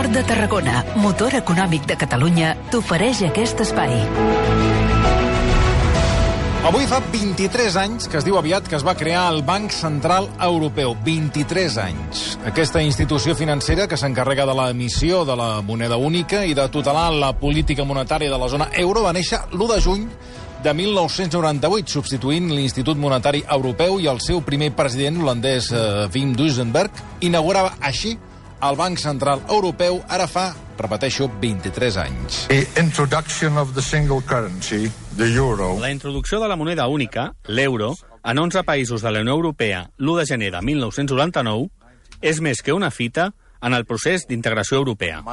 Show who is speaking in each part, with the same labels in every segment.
Speaker 1: Port de Tarragona, motor econòmic de Catalunya, t'ofereix aquest espai.
Speaker 2: Avui fa 23 anys que es diu aviat que es va crear el Banc Central Europeu. 23 anys. Aquesta institució financera que s'encarrega de l'emissió de la moneda única i de tutelar la política monetària de la zona euro va néixer l'1 de juny de 1998, substituint l'Institut Monetari Europeu, i el seu primer president, l'holandès Wim Duisenberg, inaugurava així el Banc Central Europeu, ara fa, repeteixo, 23 anys.
Speaker 3: La
Speaker 4: introducció de la moneda única, l'euro, en 11 països de la Unió Europea l'1 de gener de 1999, és més que una fita en el procés d'integració europea.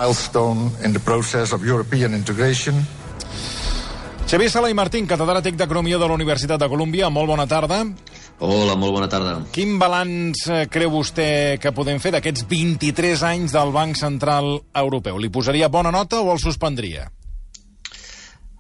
Speaker 2: Xavier Sala i Martín, catedràtic d'Economia de la Universitat de Colúmbia, molt bona tarda.
Speaker 5: Hola, molt bona tarda.
Speaker 2: Quin balanç creu vostè que podem fer d'aquests 23 anys del Banc Central Europeu? Li posaria bona nota o el suspendria?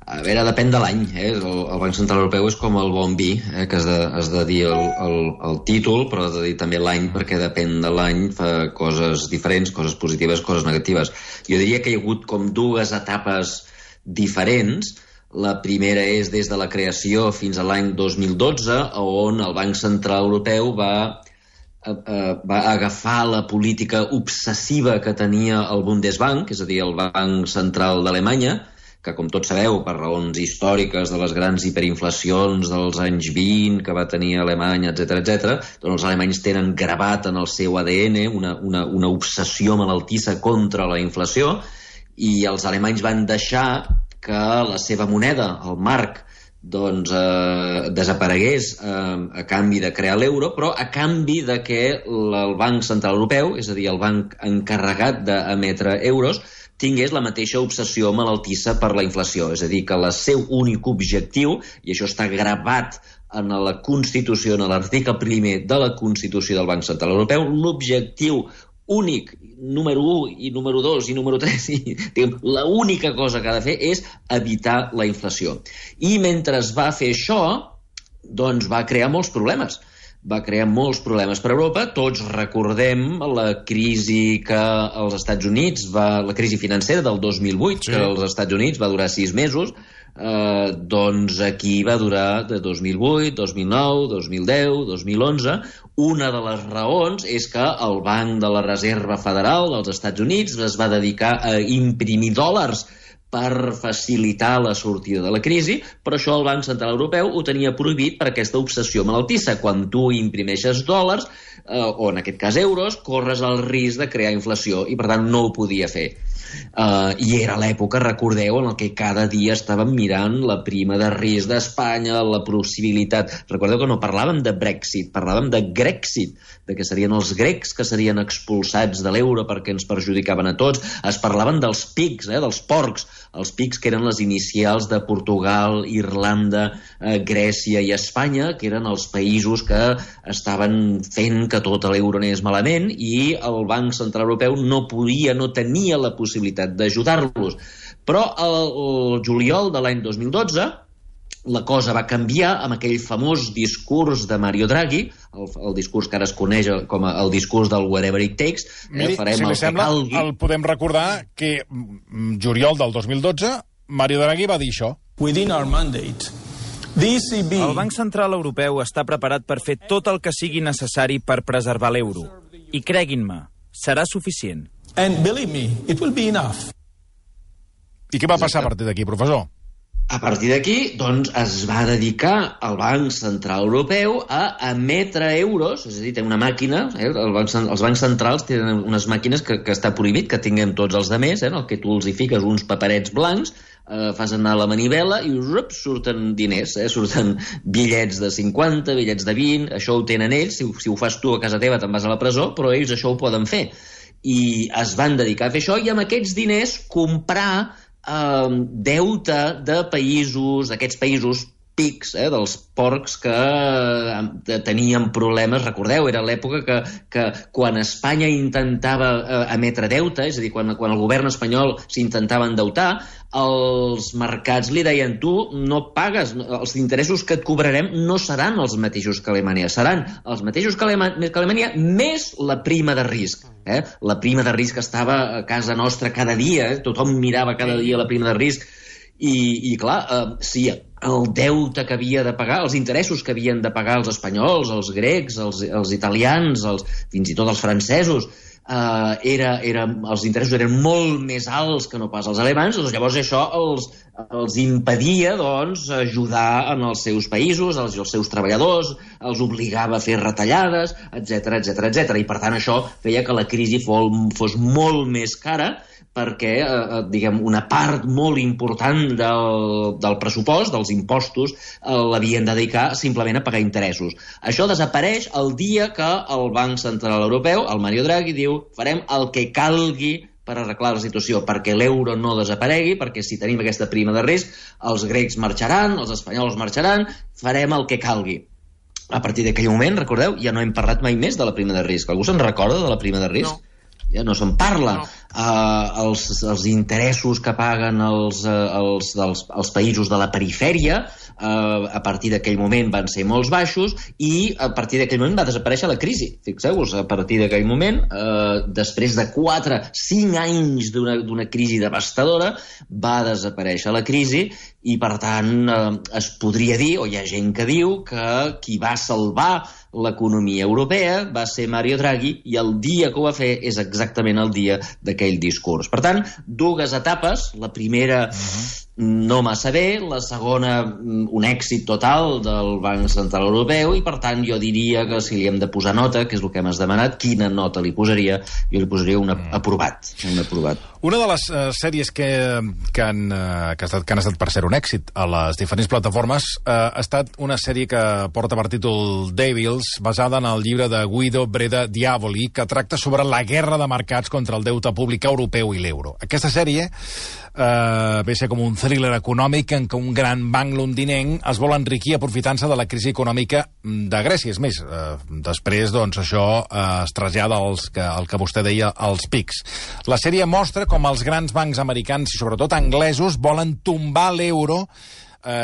Speaker 5: A veure, depèn de l'any. El Banc Central Europeu és com el bon vi, que has de dir el títol, però has de dir també l'any, perquè depèn de l'any, fa coses diferents, coses positives, coses negatives. Jo diria que hi ha hagut com dues etapes diferents. La primera és des de la creació fins a l'any 2012, on el Banc Central Europeu va agafar la política obsessiva que tenia el Bundesbank, és a dir, el Banc Central d'Alemanya, que, com tots sabeu, per raons històriques de les grans hiperinflacions dels anys 20 que va tenir Alemanya, etc., doncs els alemanys tenen gravat en el seu ADN una obsessió malaltissa contra la inflació, i els alemanys van deixar que la seva moneda, el marc, doncs desaparegués a canvi de crear l'euro, però a canvi de que el Banc Central Europeu, és a dir, el banc encarregat d'emetre euros, tingués la mateixa obsessió malaltissa per la inflació. És a dir, que el seu únic objectiu, i això està gravat en la Constitució, en l'article primer de la Constitució del Banc Central Europeu, l'objectiu únic, número 1 i número 2 i número 3, l'única cosa que ha de fer és evitar la inflació. I mentre es va fer això, doncs va crear molts problemes. Va crear molts problemes per Europa. Tots recordem la crisi que als Estats Units, la crisi financera del 2008, que als Estats Units va durar 6 mesos, doncs aquí va durar de 2008, 2009, 2010, 2011. Una de les raons és que el Banc de la Reserva Federal dels Estats Units es va dedicar a imprimir dòlars per facilitar la sortida de la crisi, però això el Banc Central Europeu ho tenia prohibit per aquesta obsessió malaltissa. Quan tu imprimeixes dòlars, o en aquest cas euros, corres el risc de crear inflació i per tant no ho podia fer. I era l'època, recordeu, en què cada dia estàvem mirant la prima de risc d'Espanya, la possibilitat... Recordeu que no parlàvem de Brexit, parlàvem de Grexit, de que serien els grecs que serien expulsats de l'euro perquè ens perjudicaven a tots. Es parlaven dels PIGs, dels porcs, els PIGs que eren les inicials de Portugal, Irlanda, Grècia i Espanya, que eren els països que estaven fent que tot l'euro anés malament, i el Banc Central Europeu no tenia la possibilitat d'ajudar-los. Però el juliol de l'any 2012 la cosa va canviar amb aquell famós discurs de Mario Draghi, el discurs que ara es coneix com el discurs del whatever it takes.
Speaker 2: Miri, si li sembla, el podem recordar que juliol del 2012 Mario Draghi va dir això.
Speaker 6: Within our mandate,
Speaker 7: el Banc Central Europeu està preparat per fer tot el que sigui necessari per preservar l'euro. I creguin-me, serà suficient.
Speaker 6: And believe me, it will be enough.
Speaker 2: I què va passar a partir d'aquí, professor?
Speaker 5: A partir d'aquí, doncs, es va dedicar el Banc Central Europeu a emetre euros, és a dir, té una màquina, els bancs centrals tenen unes màquines que està prohibit que tinguem tots els altres, en el que tu els hi fiques uns paperets blancs, fas anar la manivela i surten diners, surten bitllets de 50, bitllets de 20, això ho tenen ells, si ho fas tu a casa teva te'n vas a la presó, però ells això ho poden fer. I es van dedicar a fer això i amb aquests diners comprar deute de països, d'aquests països pics, dels porcs que tenien problemes. Recordeu, era l'època que quan Espanya intentava emetre deute, és a dir, quan el govern espanyol s'intentava endeutar, els mercats li deien: tu no pagues, els interessos que et cobrarem no seran els mateixos que Alemanya, seran els mateixos que Alemanya més la prima de risc. La prima de risc estava a casa nostra cada dia, tothom mirava cada dia la prima de risc, i clar, si el deute que havia de pagar, els interessos que havien de pagar els espanyols, els grecs, els italians, fins i tot els francesos, els interessos eren molt més alts que no pas els alemans, doncs llavors això els impedia ajudar en els seus països, els seus treballadors, els obligava a fer retallades, etc. I per tant això feia que la crisi fos molt més cara, perquè una part molt important del pressupost, dels impostos, l'havien de dedicar simplement a pagar interessos. Això desapareix el dia que el Banc Central Europeu, el Mario Draghi, diu: farem el que calgui per arreglar la situació, perquè l'euro no desaparegui, perquè si tenim aquesta prima de risc, els grecs marxaran, els espanyols marxaran, farem el que calgui. A partir d'aquell moment, recordeu, ja no hem parlat mai més de la prima de risc. Algú se'n recorda de la prima de risc? No. Ja no se'n parla. Els interessos que paguen els països de la perifèria a partir d'aquell moment van ser molt baixos, i a partir d'aquell moment va desaparèixer la crisi. Fixeu-vos, a partir d'aquell moment, després de 4-5 anys d'una crisi devastadora, va desaparèixer la crisi, i per tant es podria dir, o hi ha gent que diu, que qui va salvar l'economia europea va ser Mario Draghi, i el dia que ho va fer és exactament el dia d'aquell discurs. Per tant, dues etapes. La primera no massa bé, la segona un èxit total del Banc Central Europeu, i per tant jo diria que si li hem de posar nota, que és el que m'has demanat, quina nota li posaria? Jo li posaria un aprovat.
Speaker 2: Una de les sèries que han estat per ser un èxit a les diferents plataformes ha estat una sèrie que porta per títol Devils, basada en el llibre de Guido Breda Diavoli, que tracta sobre la guerra de mercats contra el deute públic europeu i l'euro. Aquesta sèrie ve a ser com un thriller econòmic en què un gran banc londinenc es vol enriquir aprofitant-se de la crisi econòmica de Grècia. És més, després això es trasllada al que vostè deia, als pics. La sèrie mostra com els grans bancs americans, i sobretot anglesos, volen tombar l'euro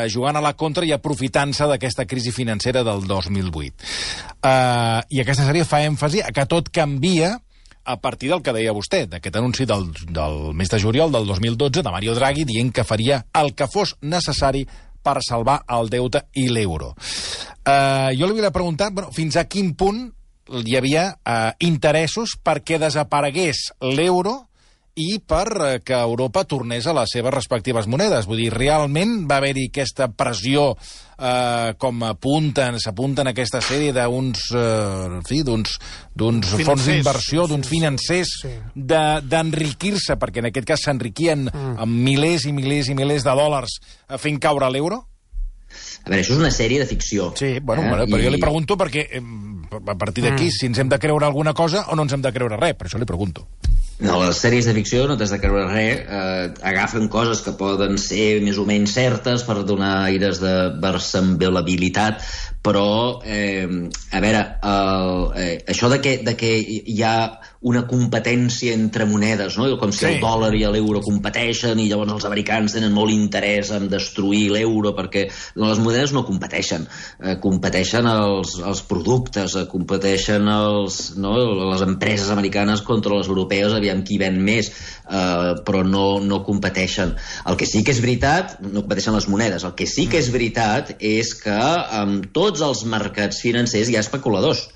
Speaker 2: jugant a la contra i aprofitant-se d'aquesta crisi financera del 2008. I aquesta sèrie fa èmfasi a que tot canvia a partir del que deia vostè, d'aquest anunci del mes de juliol del 2012 de Mario Draghi, dient que faria el que fos necessari per salvar el deute i l'euro. Jo li volia preguntar, fins a quin punt hi havia interessos perquè desaparegués l'euro i per que Europa tornés a les seves respectives monedes. Vull dir, realment va haver-hi aquesta pressió, com s'apunten a aquesta sèrie d'uns fons d'inversió, d'uns financers, d'enriquir-se, perquè en aquest cas s'enriquien amb milers i milers i milers de dòlars fent caure l'euro?
Speaker 5: A veure, això és una sèrie de ficció.
Speaker 2: Sí, però jo li pregunto perquè a partir d'aquí, si ens hem de creure alguna cosa o no ens hem de creure res, per això li pregunto.
Speaker 5: No, les sèries de ficció no t'has de creure res, agafen coses que poden ser més o menys certes per donar aires de versembleabilitat, però, a veure, això de que hi ha una competència entre monedes, no? Com si el dòlar i l'euro competeixen i llavors els americans tenen molt interès en destruir l'euro, perquè les monedes no competeixen, competeixen els productes, competeixen les empreses americanes contra les europees, aviam qui ven més, però no competeixen. El que sí que és veritat, no competeixen les monedes, el que sí que és veritat és que en tots els mercats financers hi ha especuladors,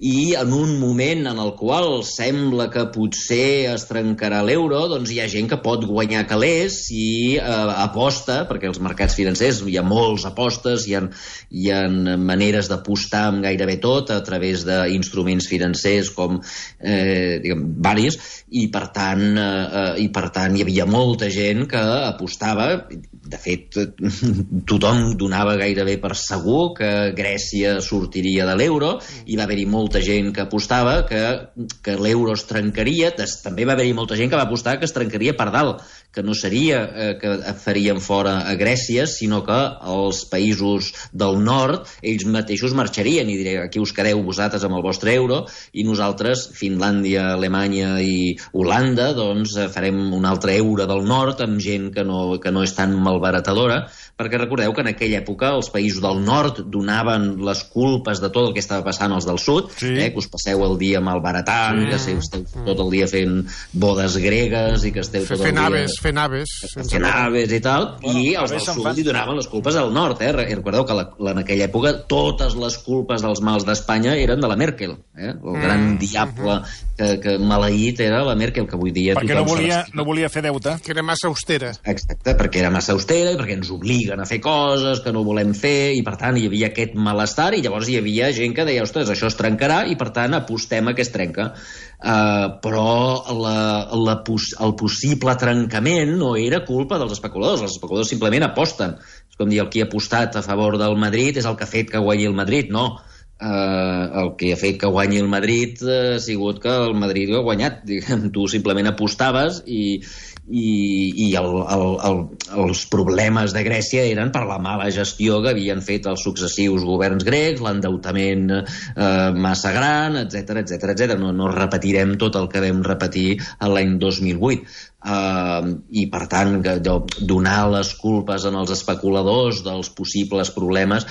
Speaker 5: i en un moment en el qual sembla que potser es trencarà l'euro, doncs hi ha gent que pot guanyar calés i aposta, perquè als mercats financers hi ha molts apostes, hi ha maneres d'apostar amb gairebé tot a través d'instruments financers com, varis, i per tant hi havia molta gent que apostava. De fet, tothom donava gairebé per segur que Grècia sortiria de l'euro, i va haver-hi molta molta gent que apostava que l'euro es trencaria, també va haver-hi molta gent que va apostar que es trencaria per dalt, que no seria que farien fora a Grècia, sinó que els països del nord, ells mateixos marxarien i dirien, aquí us quedeu vosaltres amb el vostre euro i nosaltres, Finlàndia, Alemanya i Holanda, doncs farem un altre euro del nord amb gent que no és tan malbaratadora, perquè recordeu que en aquella època els països del nord donaven les culpes de tot el que estava passant als del sud, que us passeu el dia malbaratant, que esteu tot el dia fent bodes gregues i que esteu tot el dia...
Speaker 3: Fent aves
Speaker 5: i tal, i els del sud li donaven les culpes al nord. Recordeu que en aquella època totes les culpes dels mals d'Espanya eren de la Merkel. El gran diable que maleït era la Merkel, que avui dia...
Speaker 2: Perquè no volia fer deute.
Speaker 3: Que era massa austera.
Speaker 5: Exacte, perquè era massa austera i perquè ens obliguen a fer coses que no volem fer, i per tant hi havia aquest malestar, i llavors hi havia gent que deia, ostres, això es trencarà, i per tant apostem a que es trenca. Però el possible trencament no era culpa dels especuladors. Els especuladors simplement aposten. És com dir, el qui ha apostat a favor del Madrid és el que ha fet que guanyi el Madrid. No. El que ha fet que guanyi el Madrid ha sigut que el Madrid ho ha guanyat. Tu simplement apostaves i els problemes de Grècia eren per la mala gestió que havien fet els successius governs grecs, l'endeutament massa gran, etc. No repetirem tot el que vam repetir l'any 2008. I per tant donar les culpes als especuladors dels possibles problemes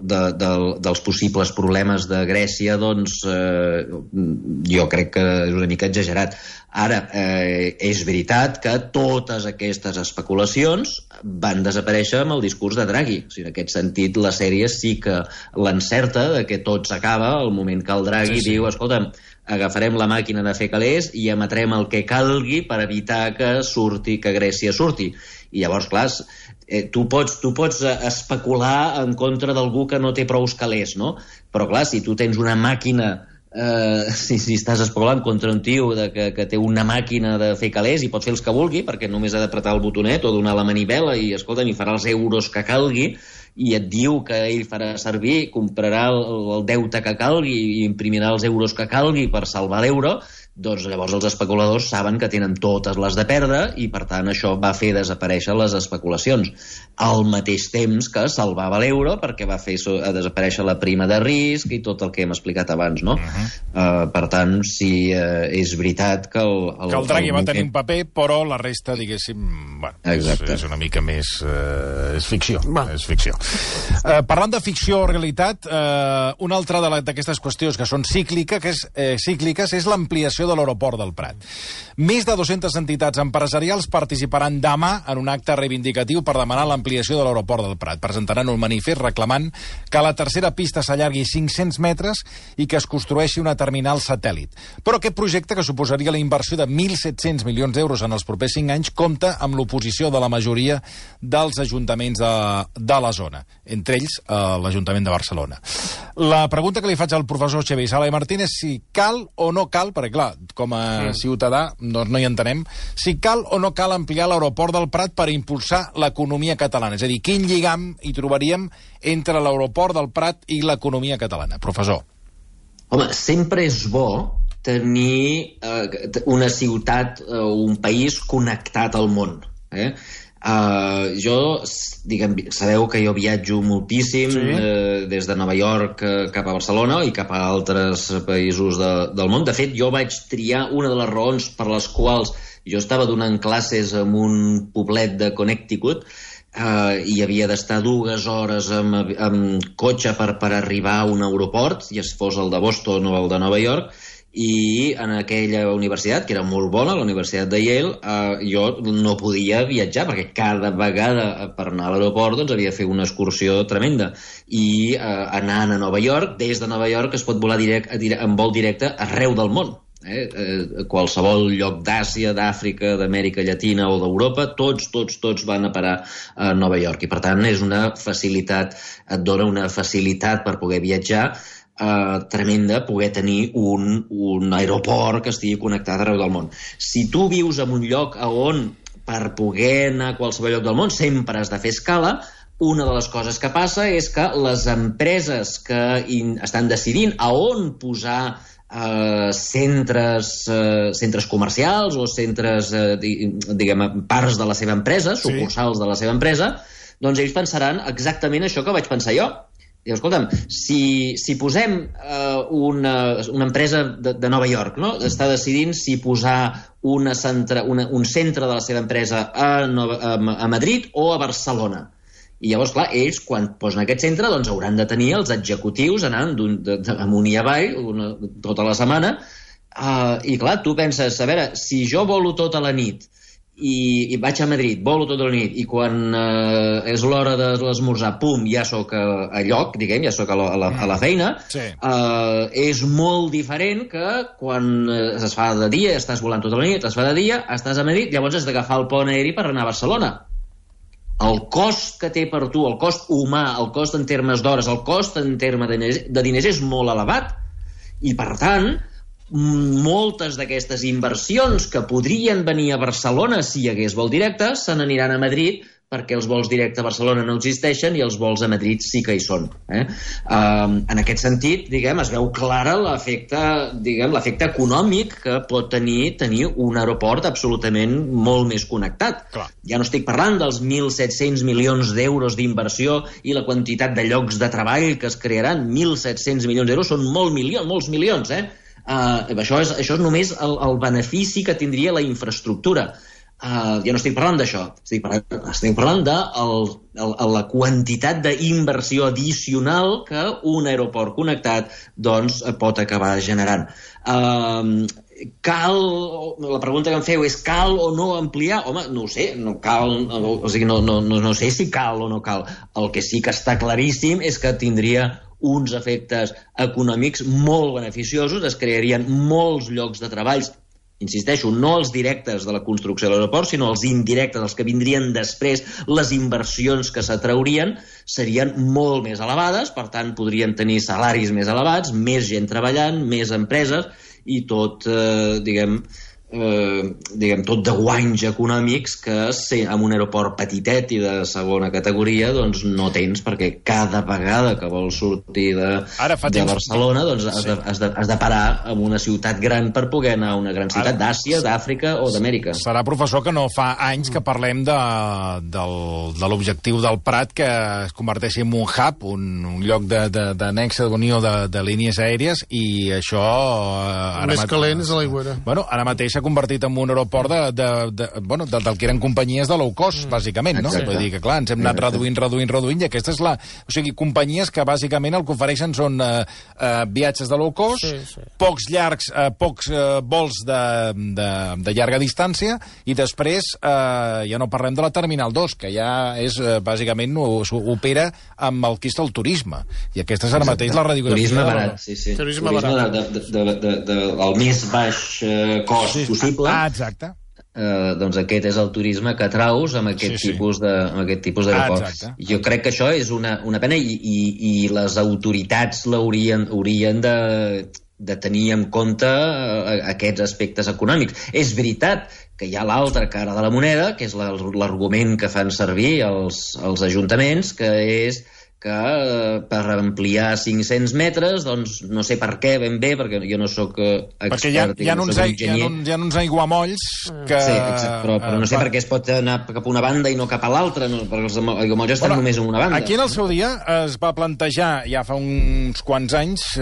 Speaker 5: dels possibles problemes de Grècia, doncs jo crec que és una mica exagerat. Ara, és veritat que totes aquestes especulacions van desaparèixer amb el discurs de Draghi. O sigui, en aquest sentit, la sèrie sí que l'encerta de que tot s'acaba al moment que el Draghi diu, escolta'm, agafarem la màquina de fer calés i emetrem el que calgui per evitar que Grècia surti. I llavors, clar, tu pots especular en contra d'algú que no té prous calés, no? Però, clar, si tu tens una màquina, si estàs especulant contra un tio que té una màquina de fer calés i pot fer els que vulgui, perquè només ha d'apretar el botonet o donar la manivela i, escolta'm, i farà els euros que calgui, i et diu que ell farà servir, comprarà el deute que calgui i imprimirà els euros que calgui per salvar l'euro, doncs llavors els especuladors saben que tenen totes les de perdre i per tant això va fer desaparèixer les especulacions al mateix temps que salvava l'euro perquè va fer desaparèixer la prima de risc i tot el que hem explicat abans, no? Per tant, sí, és veritat que
Speaker 2: el Draghi va tenir un paper, però la resta, diguéssim, és una mica més... és ficció. És ficció. Parlant de ficció o realitat, una altra d'aquestes qüestions que són cícliques és l'ampliació de l'aeroport del Prat. Més de 200 entitats empresarials participaran demà en un acte reivindicatiu per demanar l'ampliació de l'aeroport del Prat. Presentaran un manifest reclamant que la tercera pista s'allargui 500 metres i que es construeixi una terminal satèl·lit. Però aquest projecte, que suposaria la inversió de 1.700 milions d'euros en els propers 5 anys, compta amb l'oposició de la majoria dels ajuntaments de la zona, entre ells l'Ajuntament de Barcelona. La pregunta que li faig al professor Xavier Sala i Martín és si cal o no cal, perquè clar, com a ciutadà doncs no hi entenem, si cal o no cal ampliar l'aeroport del Prat per impulsar l'economia catalana. És a dir, quin lligam hi trobaríem entre l'aeroport del Prat i l'economia catalana? Professor.
Speaker 5: Home, sempre és bo tenir una ciutat o un país connectat al món. Jo, sabeu que jo viatjo moltíssim des de Nova York cap a Barcelona i cap a altres països del món. De fet, jo vaig triar una de les raons per les quals jo estava donant classes en un poblet de Connecticut i havia d'estar 2 hores amb cotxe per arribar a un aeroport, ja fos el de Boston o el de Nova York, i en aquella universitat, que era molt bona, la Universitat de Yale, jo no podia viatjar perquè cada vegada per anar a l'aeroport doncs havia de fer una excursió tremenda i anant a Nova York, des de Nova York es pot volar en vol directe arreu del món. Qualsevol lloc d'Àsia, d'Àfrica, d'Amèrica Llatina o d'Europa, tots van a parar a Nova York i per tant és una facilitat, et dona una facilitat per poder viatjar tremenda, poder tenir un aeroport que estigui connectat arreu del món. Si tu vius en un lloc on per poder anar a qualsevol lloc del món sempre has de fer escala, una de les coses que passa és que les empreses que estan decidint a on posar centres comercials o centres, diguem, parts de la seva empresa, sucursals de la seva empresa, doncs ells pensaran exactament això que vaig pensar jo. Diu, escolta'm, si posem una empresa de Nova York, no? Està decidint si posar un centre de la seva empresa a Madrid o a Barcelona. I llavors, clar, ells, quan posen aquest centre, doncs hauran de tenir els executius anant amunt i avall tota la setmana. I, clar, tu penses, a veure, si jo volo tota la nit i vaig a Madrid, volo tota la nit, i quan és l'hora de l'esmorzar, pum, ja sóc a lloc, diguem, ja sóc a la feina, és molt diferent que quan es fa de dia, estàs volant tota la nit, es fa de dia, estàs a Madrid, llavors has d'agafar el pont aeri per anar a Barcelona. El cost que té per tu, el cost humà, el cost en termes d'hores, el cost en termes de diners és molt elevat. I, per tant, moltes d'aquestes inversions que podrien venir a Barcelona si hi hagués vol directe se n'aniran a Madrid, perquè els vols directes a Barcelona no existeixen i els vols a Madrid sí que hi són. En aquest sentit, diguem, es veu clara l'efecte econòmic que pot tenir un aeroport absolutament molt més connectat. Clar. Ja no estic parlant dels 1.700 milions d'euros d'inversió i la quantitat de llocs de treball que es crearan. 1.700 milions d'euros són molts milions, Això és només el benefici que tindria la infraestructura. Ja no estic parlant d'això, estic parlant de la quantitat d'inversió addicional que un aeroport connectat doncs, pot acabar generant. La pregunta que em feu és cal o no ampliar? Home, no ho sé, no cal, o sigui, no sé si cal o no cal. El que sí que està claríssim és que tindria uns efectes econòmics molt beneficiosos, es crearien molts llocs de treballs, insisteixo, no els directes de la construcció de l'aeroport, sinó els indirectes, els que vindrien després, les inversions que s'atraurien serien molt més elevades, per tant podrien tenir salaris més elevats, més gent treballant, més empreses i tot, tot de guanys econòmics que amb un aeroport petitet i de segona categoria doncs no tens, perquè cada vegada que vols sortir de Barcelona doncs has de parar en una ciutat gran per poder anar a una gran ciutat d'Àsia, d'Àfrica o d'Amèrica.
Speaker 2: Serà, professor, que no fa anys que parlem de l'objectiu del Prat que es converteixi en un hub, un lloc d'anexa d'unió de línies aèries, i això...
Speaker 3: Més calent és a l'aigüera.
Speaker 2: Bueno, ara mateix s'ha convertit en un aeroport del que eren companyies de low cost, bàsicament, no? Vull dir que, clar, ens hem anat reduint, i aquesta és o sigui, companyies que bàsicament el que ofereixen són viatges de low cost, pocs vols de llarga distància, i després ja no parlem de la Terminal 2, que ja és, bàsicament, opera amb el que és el turisme. I aquesta és ara mateix la radiografia.
Speaker 5: Turisme barat, sí. Turisme barat. El més baix cost possible.
Speaker 2: Exacte.
Speaker 5: Doncs aquest és el turisme que atraus amb aquest tipus d'aeroports. Jo crec que això és una pena i les autoritats haurien de tenir en compte aquests aspectes econòmics. És veritat que hi ha l'altra cara de la moneda, que és l'argument que fan servir els ajuntaments, que és que per ampliar 500 metres, doncs no sé per què ben bé, perquè jo no sóc expert.
Speaker 2: Perquè hi ha uns aiguamolls que...
Speaker 5: Sí, exacte, però no sé per què es pot anar cap a una banda i no cap a l'altra, perquè els aiguamolls estan només en una banda.
Speaker 2: Aquí en el seu dia es va plantejar, ja fa uns quants anys,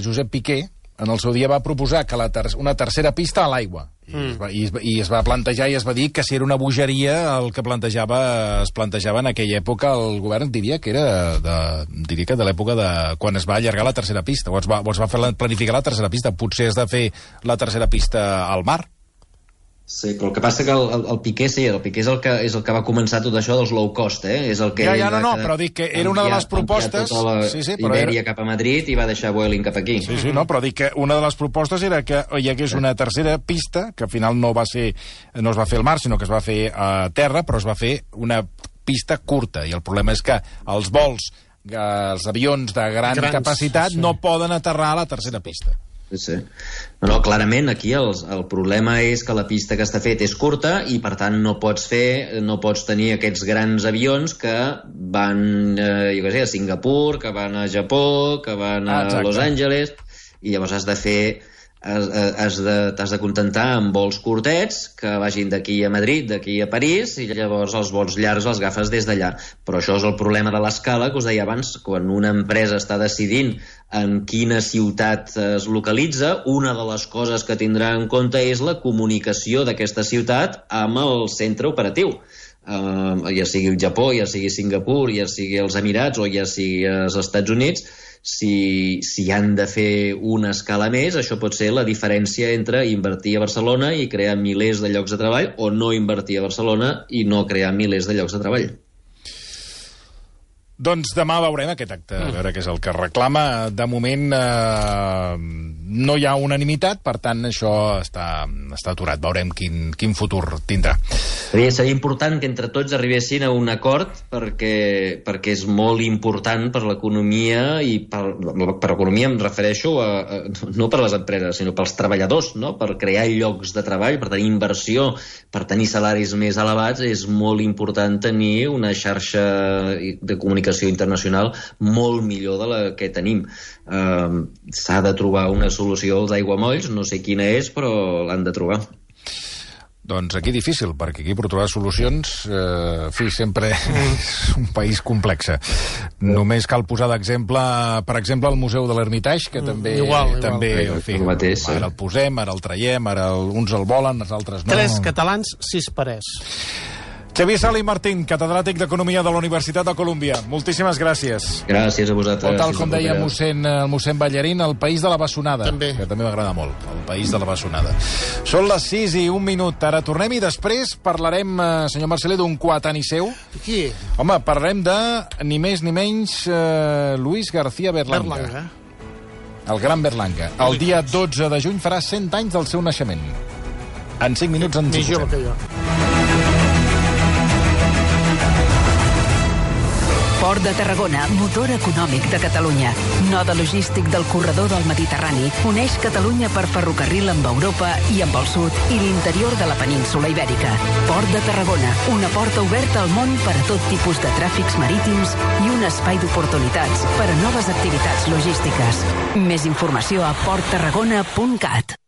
Speaker 2: Josep Piqué, en el seu dia va proposar que una tercera pista a l'aigua. I es va plantejar i es va dir que si era una bogeria el que es plantejava en aquella època el govern, diria que de l'època de quan es va allargar la tercera pista, o es va planificar la tercera pista. Potser has de fer la tercera pista al mar.
Speaker 5: Sí, però el que passa que el Piqué és el que va començar tot això dels low cost, És el que
Speaker 2: però dic que era una de les propostes...
Speaker 5: Ibèria cap a Madrid i va deixar Vueling cap aquí.
Speaker 2: Sí, però dic que una de les propostes era que hi hagués una tercera pista, que al final no es va fer al mar, sinó que es va fer a terra, però es va fer una pista curta, i el problema és que els avions de gran capacitat no poden aterrar a la tercera pista.
Speaker 5: Sí. No, clarament aquí el problema és que la pista que està fet és curta i per tant no pots tenir aquests grans avions que van jo què sé, a Singapur, que van a Japó, que van a Los Angeles, i llavors t'has de contentar amb vols curtets que vagin d'aquí a Madrid, d'aquí a París, i llavors els vols llargs els agafes des d'allà. Però això és el problema de l'escala que us deia abans. Quan una empresa està decidint en quina ciutat es localitza, una de les coses que tindrà en compte és la comunicació d'aquesta ciutat amb el centre operatiu. Ja sigui el Japó, ja sigui Singapur, ja sigui els Emirats o ja sigui els Estats Units. Si han de fer una escala més, això pot ser la diferència entre invertir a Barcelona i crear milers de llocs de treball o no invertir a Barcelona i no crear milers de llocs de treball.
Speaker 2: Doncs demà veurem aquest acte, a veure què és el que reclama. De moment no hi ha unanimitat, per tant això està aturat. Veurem quin futur tindrà.
Speaker 5: Seria important que entre tots arribessin a un acord perquè és molt important per l'economia, i per l'economia em refereixo no per les empreses, sinó pels treballadors, no? Per crear llocs de treball, per tenir inversió, per tenir salaris més elevats. És molt important tenir una xarxa de comunicació internacional molt millor de la que tenim. S'ha de trobar una solució als aiguamolls, no sé quina és, però l'han de trobar.
Speaker 2: Doncs aquí difícil, perquè aquí per trobar solucions, sempre és un país complex. Només cal posar d'exemple, per exemple, el Museu de l'Hermitage, que també...
Speaker 3: Igual.
Speaker 2: En fi, ara el posem, ara el traiem, ara uns el volen, els altres no.
Speaker 3: 3 catalans, 6 parers.
Speaker 2: Xavier Sala i Martín, catedràtic d'Economia de la Universitat de Colúmbia. Moltíssimes gràcies.
Speaker 5: Gràcies a vosaltres.
Speaker 2: O tal com deia el mossèn Ballarín, el país de la bessonada. Que també m'agrada molt, el país de la bessonada. Són les 6:01. Ara tornem i després parlarem, senyor Marcelé, d'un coetani-seu.
Speaker 3: Qui?
Speaker 2: Home, parlarem de, ni més ni menys, Luis García Berlanga. El gran Berlanga. El dia 12 de juny farà 100 anys del seu naixement. En 5 minuts ens hi posem.
Speaker 3: Més jove que jo.
Speaker 1: Port de Tarragona, motor econòmic de Catalunya. Node logístic del corredor del Mediterrani, uneix Catalunya per ferrocarril amb Europa i amb el sud i l'interior de la península Ibèrica. Port de Tarragona, una porta oberta al món per a tot tipus de tràfics marítims i un espai d'oportunitats per a noves activitats logístiques. Més informació a porttarragona.cat.